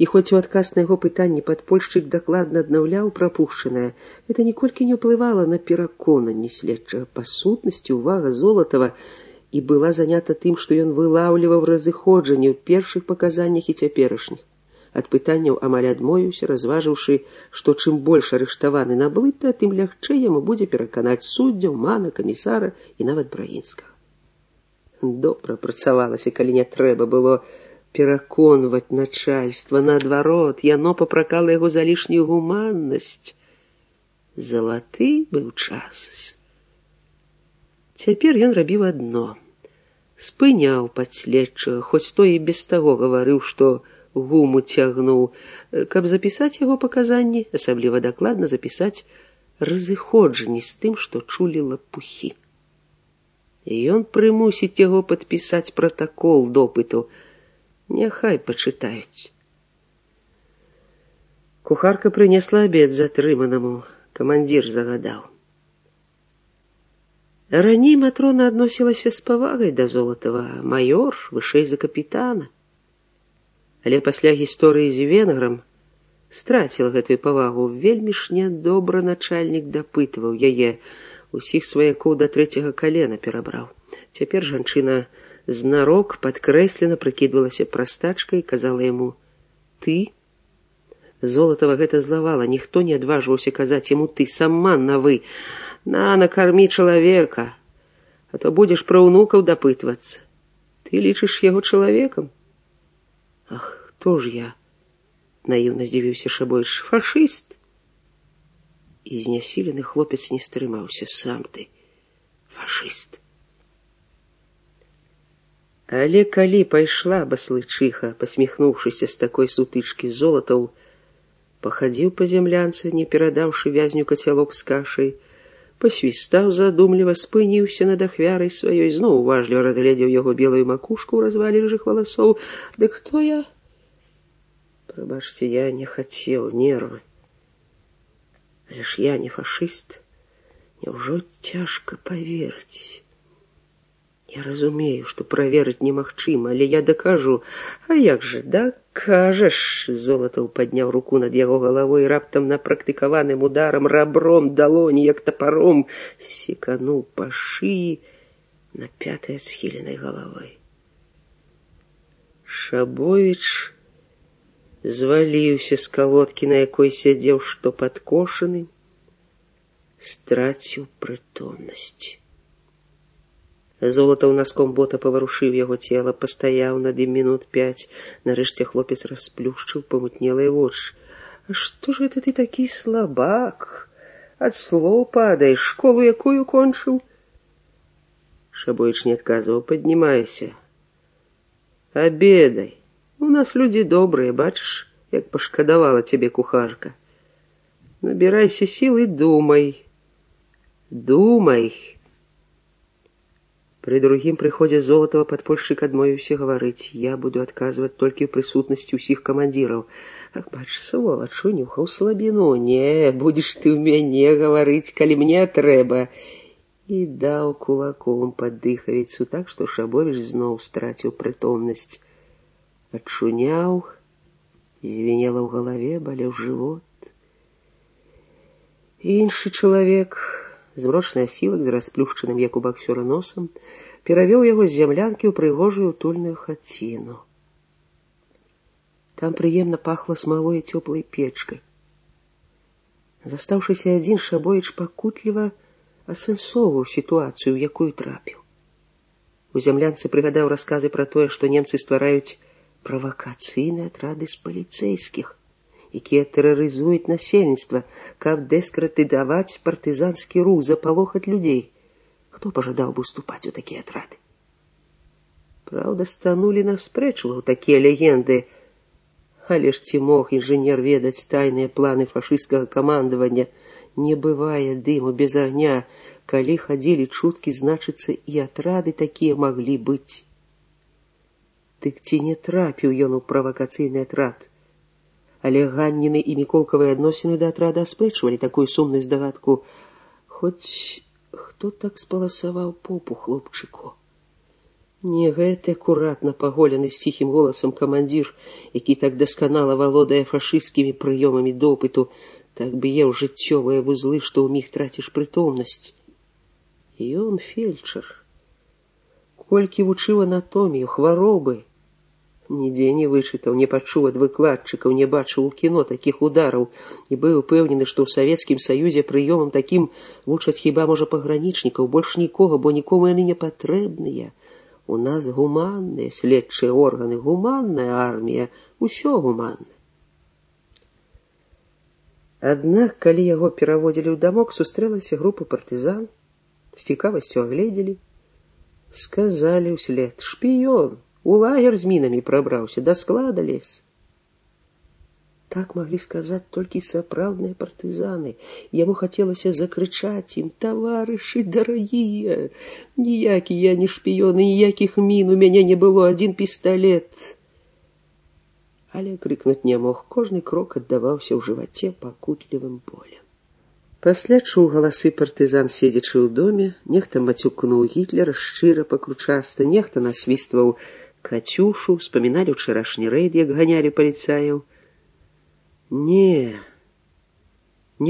І хоць у адказ на яго пытанне падпольшчык дакладна аднаўляў прапушчанае, гэта ніколькі не ўплывала на пераконанне следчага. Па сутнасці увага Золатава і была занята тым, што ён вылаўліваў разыходжанне ў першых паказаннях і цяперашніх. Ад пытанняў амаль адмовіўся, разважыўшы, што чым больш арыштаваны наблыта, тым лягчэй яму будзе пераканаць суддзяў, мана, камісара і нават Браінскага. Добра працавалася, калі не трэба было пераконваць начальства. Наадварот, яно папракала яго за лішнюю гуманнасць. Залаты быў час. Цяпер ён рабіў адно. Спыняў падследчага, хоць той і без таго гаварыў, што гуму цягнуў, каб запісаць яго паказанні, асабліва дакладна запісаць разыходжанні з тым, што чулі лапухі. І ён прымусіць яго падпісаць пратакол допыту. Няхай пачытаюць. Кухарка прынесла абед затрыманаму. Камандзір загадаў. Раней Матрона адносілася з павагай да Золатава. Маёр вышэй за капітана. Але пасля гісторыі з венграм страціла гэтую павагу. Вельмі ж нядобра начальнік дапытваў яе. Усіх сваякоў да 3-го калена перабраў. Цяпер жанчына знарок падкрэслена прыкідвалася прастачкай і казала яму «ты». Золатава гэта злавала. Ніхто не адважваўся казаць яму «ты», сама на «вы». Накармі чалавека, а то будзеш пра ўнукаў дапытвацца. Ты лічыш яго чалавекам? Ах, хто ж я? Наіўна здзівіўся Шабойч. Фашыст? І знясілены хлопец не стрымаўся. Сам ты фашыст. Але калі пайшла баслычыха, пасміхнуўшыся з такой сутычкі, Золатаў пахадзіў па зямлянцы, не перадаўшы вязню кацялок з кашай, пасвістаў задумліва, спыніўся над ахвярай сваёй, зноў уважліва разгледзеў яго белую макушку ў развалі рыжых валасоў. Дык хто я? Прабачце, я не хацеў, нервы. Але ж я не фашыст. Няўжо цяжка паверыць? Я разумею, што праверыць немагчыма, але я дакажу. А як жа, дакажаш? Золатаў падняў руку над яго галавой, раптам напрактыкаваным ударам рабром далоні, як тапаром, секануў па шыі на 5-й схіленай галавой. Шабовіч зваліўся з калодкі, на якой сядзеў, што падкошаны, страціў прытомнасць. Золатаў наском бота паварушыў яго цела, пастаяў над ім минут 5. Нарэшце хлопец расплюшчыў памутнелыя вочы. А што ж гэта ты такі слабак? Ад слоў падаеш, школу якую кончыў? Шабойч не адказваў. Паднімайся. Абедай. У нас людзі добрыя, бачыш, як пашкадавала цябе кухарка. Набірайся сіл і думай. Думай. Пры другім прыходзе Золатава падпольшчык адмовіўся гаварыць. Я буду адказваць толькі ў прысутнасці ўсіх камандзіраў. Ах, бач, сволач, унюхаў слабіну. Не, будзеш ты ў мяне гаварыць, калі мне трэба. І даў кулаком пад дыхавіцу, так што Шабовіч зноў страціў прытомнасць. Адчуняў, звенела ў галаве, балеў жывот. Іншы чалавек, змрочны асілак з расплюшчаным, як у баксёра, носам, перавёў яго з зямлянкі ў прыгожую утульную хаціну. Там прыемна пахла смалой і цёплай печкай. Застаўшыся адзін, Шабовіч пакутліва асэнсоўваў сітуацыю, у якую трапіў. У зямлянцы прыгадаў расказы пра тое, што немцы ствараюць правакацыйныя атрады з паліцэйскіх, якія тэрарызуюць насельніцтва, каб дэскрэдытаваць партызанскі рух, запалохаць людзей. Хто пажадаў бы уступаць у такія атрады? Праўда, Станулі наспрэчваў такія легенды, але ж ці мог інжынер ведаць тайныя планы фашысцкага камандавання? Не бывае дыму без агня. Калі хадзілі чуткі, значыцца, і атрады такія маглі быць. Дык ці не трапіў ён у правакацыйны атрад? Але Ганніны і Міколкавыя адносіны да атрада аспрэчвалі такую сумную здагадку. Хоць хто так спаласаваў попу хлопчыку? Не гэты акуратна паголены з ціхім голасам камандзір, які так дасканала валодае фашысцкімі прыёмамі допыту, так б'е ў жыццёвыя вузлы, што ў міг траціш прытомнасць. Ён фельчар. Колькі вучыў анатомію, хваробы. Нідзе не вычытаў, не пачуў ад выкладчыкаў, не бачыў у кіно такіх удараў і быў упэўнены, што ў Савецкім Саюзе прыёмам такім вучаць хіба, можа, пагранічнікаў, больш нікога, бо нікому яны не патрэбныя. У нас гуманныя следчыя органы, гуманная армія, усё гуманна. Аднак, калі яго пераводзілі ў дамок, сустрэлася група партызан, з цікавасцю агледзелі, сказалі ўслед: шпіён, у лагер з мінамі прабраўся, да склада лез. Так маглі сказаць толькі сапраўдныя партызаны. Яму хацелася закрычаць ім: таварышы дарагія, ніякі я не шпіён, ніякіх мін у мяне не было, адзін пісталет. Але крыкнуць не мог, кожны крок аддаваўся ў жываце пакутлівым болем. Пасля чуў галасы партызан, седзячы ў доме, нехта мацюкнуў Гітлера шчыра пакручаста, нехта насвістваў Кацюшу, спаміналі ўчарашні рэйд, як ганялі паліцаяў. Не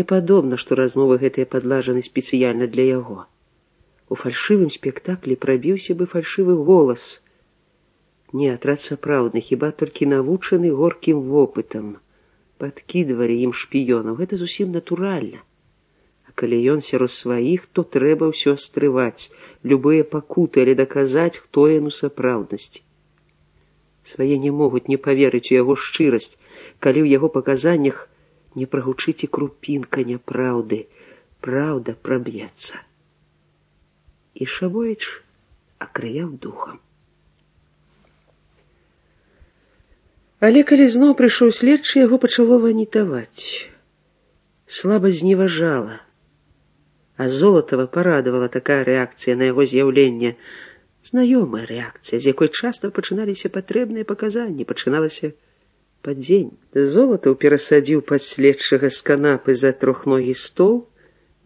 падобна, што размовы гэтыя падлажаны спецыяльна для яго. У фальшывым спектаклі прабіўся бы фальшывы голас. Не, атрад сапраўдны, хіба толькі навучаны горкім вопытам. Падкідвалі ім шпіёнаў, гэта зусім натуральна. А калі ён сярод сваіх, то трэба ўсё стрываць, любыя пакуты, але даказаць, хто ён у сапраўднасці. Свае не могуць не паверыць у яго шчырасць, калі ў яго паказаннях не прагучыць і крупінка няпраўды. Праўда праб'ецца. І Шабовіч акрыяў духам. Але калі зноў прыйшоў следчы, яго пачало ванітаваць. Слаба зневажала. А Золатава парадавала такая рэакцыя на яго з'яўленне. Знаёмая рэакцыя, з якой часта пачыналіся патрэбныя паказанні, пачыналася падзень. Золатаў перасадзіў пад следчага з канапы за трохногі стол,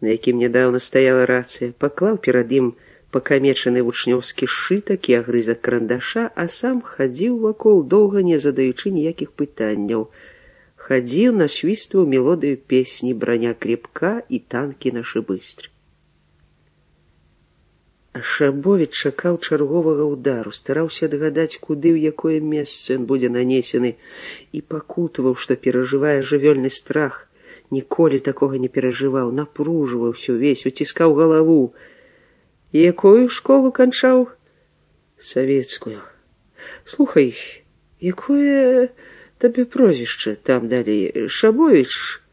на якім нядаўна стаяла рацыя, паклаў перад ім пакамечаны вучнёўскі сшытак і агрызак карандаша, а сам хадзіў вакол, доўга не задаючы ніякіх пытанняў. Хадзіў, насвістваў мелодыю песні «Броня крепка» і «Танкі нашы быстры». А Шабовіч чакаў чарговага ўдару, стараўся адгадаць, куды, ў якое месца ён будзе нанесены, і пакутаваў, што перажывае жывёльны страх. Ніколі такога не перажываў, напружваўся ўвесь, уціскаў галаву. Якую школу канчаў? Савецкую. Слухай, якое табе прозвішча там далей? Шабовіч?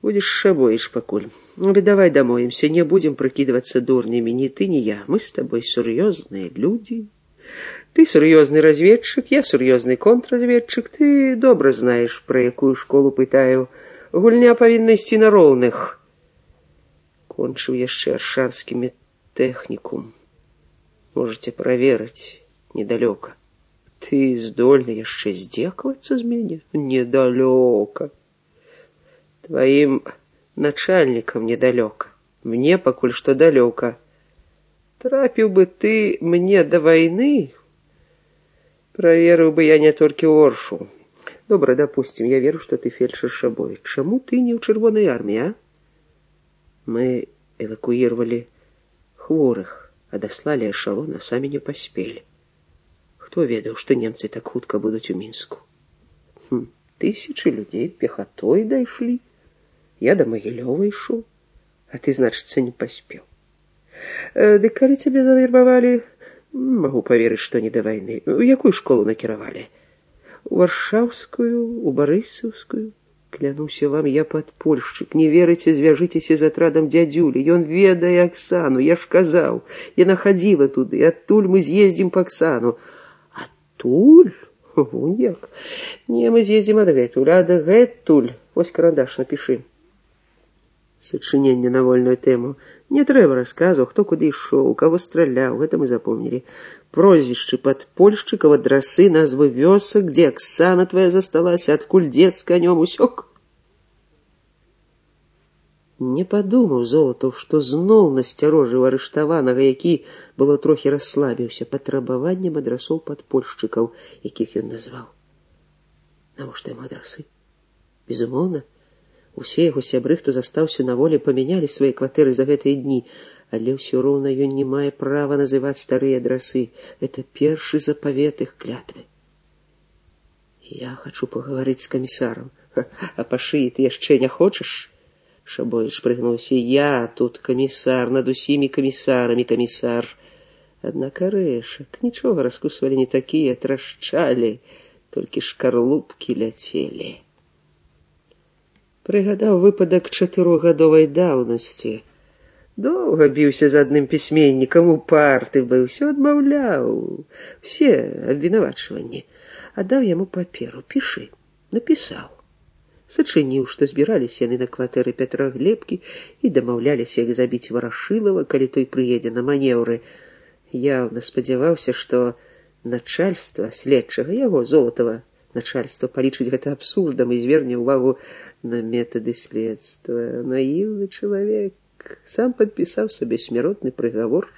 Будешь Шабовіч пакуль. Але давай дамовімся, не будем прыкідвацца дурнямі, ні ты, ні я. Мы с тобой сур'ёзныя людзі. Ты сур'ёзны разведчык, я сур'ёзны контрразведчык. Ты добра знаеш, пра якую школу пытаю. Гульня павінна ісці на роўных. Кончыў яшчэ аршанскімі тэхнікум. Можаце праверыць, недалёка. Ты здольны яшчэ здзекавацца з мяне? Недалёка. Твоим начальникам недалёка. Мне пакуль што далёка. Трапіў бы ты мне до войны, праверыў бы я не толькі Оршу. Добра, допустим, я веру, што ты фельчар Шабовіч. Чаму ты не ў чырвонай арміі, а? Мы эвакуировали хворых, адаслалі эшалон, а самі не паспелі. Хто ведаў, што немцы так хутка будуць у Мінску? Тысячы людзей пехатой дайшлі. Я до Магілёва ішоў, а ты, значыцца, не паспеў. Дык калі цябе завербавалі, магу паверыць, што не да вайны. У якую школу накіравалі? У Варшаўскую, у Барысаўскую? Клянуся вам, я падпольшчык. Не верыце, звяжыцеся з атрадам дзядзюлі. Ён ведае Аксану, я ж казаў. Яна хадзіла туды, адтуль мы з'ездзім па Аксану. Адтуль? Вунь як. Не, мы з'ездзім адгэтуль, адгэтуль. Вось карандаш, напішы. Сачыненне на вольную тэму. Не трэба расказу, хто куды ішоў, каго страляў, гэта мы запомнілі. Прозвішчы падпольшчыкаў, адрасы, назвы вёсак, дзе Аксана твая засталася, адкуль дзед з канём, усёк. Не падумаў Золатаў, што зноў насцярожыў арыштаванага, які было трохі расслабіўся патрабаваннем адрасоў падпольшчыкаў, якіх ён назваў. Навошта яму адрасы? Безумоўна, усе яго сябры, хто застаўся на волі, памянялі свае кватэры за гэтыя дні, але ўсё роўна ён не мае права называць старыя адрасы. Это першы запавет іх клятвы. Я хачу пагаварыць з камісарам. А па шыі ты яшчэ не хочаш? Шабоіч прыгнуўся. Я тут камісар, над усімі камісарамі камісар. Аднак арэшак нічога раскусвалі не такія, трашчалі, толькі шкарлупкі ляцелі. Прыгадаў выпадак 4гадовай даўнасці. Доўга біўся з адным пісьменнікам, упарты быў, усё адмаўляў, усе абвінавачванні. Аддаў яму паперу. Пішы. Напісаў. Сачыніў, што збіраліся яны на кватэры Пятра Глебкі і дамаўляліся, як забіць Варашылава, калі той прыедзе на манеўры. Яўна спадзяваўся, што начальства следчага, яго, Золатава, начальства палічыць гэта абсурдам і зверне ўвагу на метады следства. Наіўны чалавек. Сам падпісаў сабе смяротны прыгавор.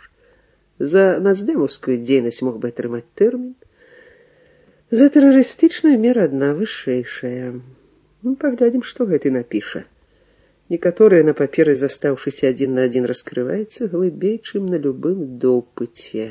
За нацдэмаўскую дзейнасць мог бы атрымаць тэрмін. За тэрарыстычную мера адна вышэйшая. Паглядзім, што гэты напіша. Некаторыя на паперы, застаўшыся адзін на адзін, раскрываецца глыбей, чым на любым допыце.